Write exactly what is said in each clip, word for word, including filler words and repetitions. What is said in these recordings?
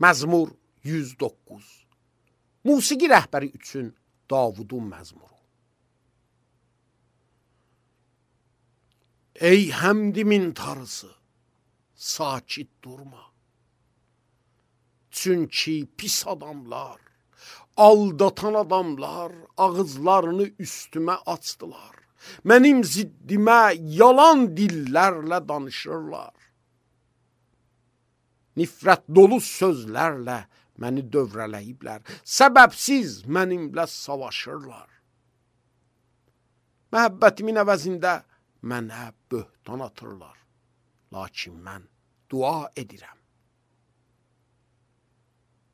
Məzmur yüz doqquz. Musiqi rəhbəri üçün Davudun məzmuru. Ey həmdimin tarısı, sakit durma. Çünki pis adamlar, aldatan adamlar ağızlarını üstümə açdılar. Mənim ziddimə yalan dillərlə danışırlar. Nifrət dolu sözlərlə məni dövrələyiblər. Səbəbsiz mənimlə savaşırlar. Məhəbbətimin əvəzində mənə böhtan atırlar. Lakin mən dua edirəm.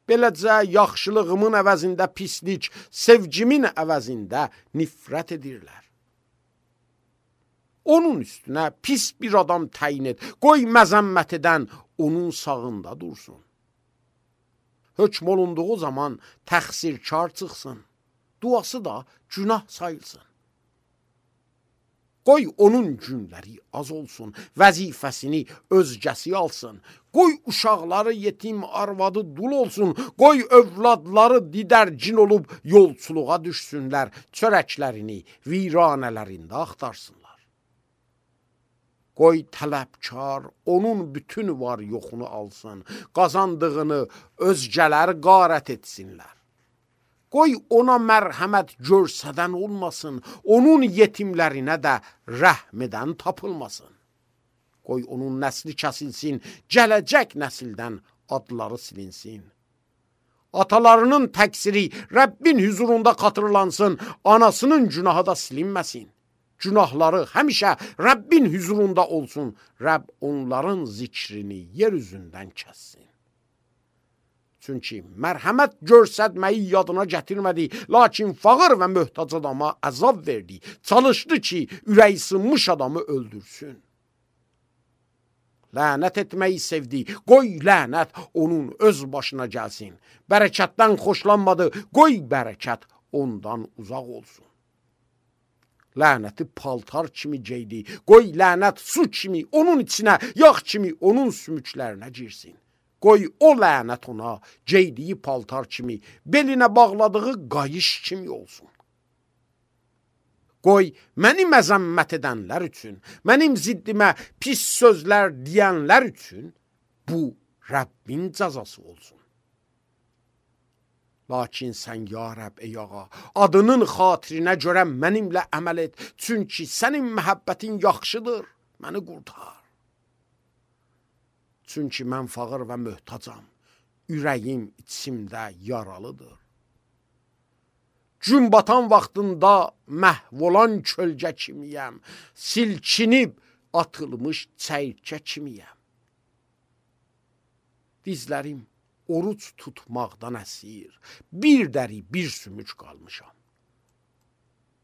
Beləcə yaxşılığımın əvəzində pislik, sevgimin əvəzində nifrət edirlər. Onun üstünə pis bir adam təyin et, qoy məzəmmət edən onun sağında dursun. Hökm olunduğu zaman təqsirkar çıxsın, duası da günah sayılsın. Qoy onun günləri az olsun, vəzifəsini özgəsi alsın. Qoy uşaqları yetim, arvadı dul olsun. Qoy övladları didərcin olub yolçuluğa düşsünlər, çörəklərini viranələrində axtarsınlar. Qoy tələbkar onun bütün var yoxunu alsın, qazandığını özgələri qarət etsinlər. Qoy ona mərhəmət görsədən olmasın, onun yetimlərinə də rəhm edən tapılmasın. Qoy onun nəsli kəsilsin, gələcək nəsildən adları silinsin. Atalarının təqsiri Rəbbin hüzurunda xatırlansın, anasının günahı da silinməsin. Günahları həmişə Rəbbin hüzurunda olsun, Rəbb onların zikrini yer üzündən kəssin. Çünki mərhəmət görsətməyi yadına gətirmədi, lakin fağır və möhtac adama əzab verdi. Çalışdı ki, ürəyi sınmış adamı öldürsün. Lənət etməyi sevdi, qoy lənət onun öz başına gəlsin. Bərəkətdən xoşlanmadı, qoy bərəkət ondan uzaq olsun. Lənəti paltar kimi geydi, qoy lənət su kimi onun içinə, yağ kimi onun sümüklərinə girsin. Qoy o lənət ona geydiyi paltar kimi, belinə bağladığı qayış kimi olsun. Qoy məni məzəmmət edənlər üçün, mənim ziddimə pis sözlər deyənlər üçün bu Rəbbin cəzası olsun. Lakin sən ya Rəbb ey ağa, adının xatirinə görə mənimlə əməl et, çünki sənin məhəbbətin yaxşıdır, məni qurtar. Çünki mən fağır və möhtacam, ürəyim içimdə yaralıdır. Gün batan vaxtında məhv olan kölgə kimiyəm, silkinib atılmış çəyirkə kimiyəm. Dizlərim oruç tutmaqdan əsir, bir dəri, bir sümük qalmışam.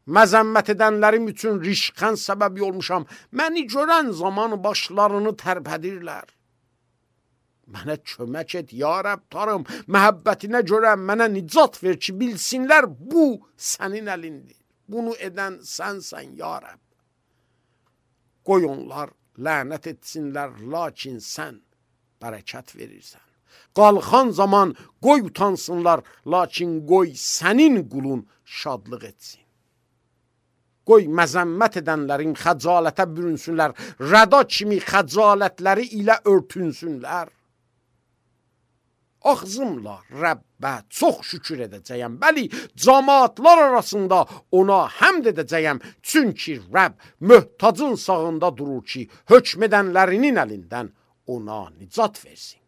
Məzəmmət edənlərim üçün rişxən səbəbi olmuşam, məni görən zaman başlarını tərpədirlər. Mənə kömək et, ya Rəbb tarım, məhəbbətinə görə mənə nicat ver ki, bilsinlər bu sənin əlindir. Bunu edən sənsən, ya Rəbb. Qoy onlar lənət etsinlər, lakin sən bərəkət verirsən. Qalxan zaman qoy utansınlar, lakin qoy sənin qulun şadlıq etsin. Qoy məzəmmət edənlərin xəcalətə bürünsünlər, rəda kimi xəcalətləri ilə örtünsünlər. Ağzımla Rəbbə çox şükür edəcəyəm. Bəli, cəmaatlar arasında ona həmd edəcəyəm. Çünki Rəbb möhtacın sağında durur ki, hökm edənlərinin əlindən ona nicat versin.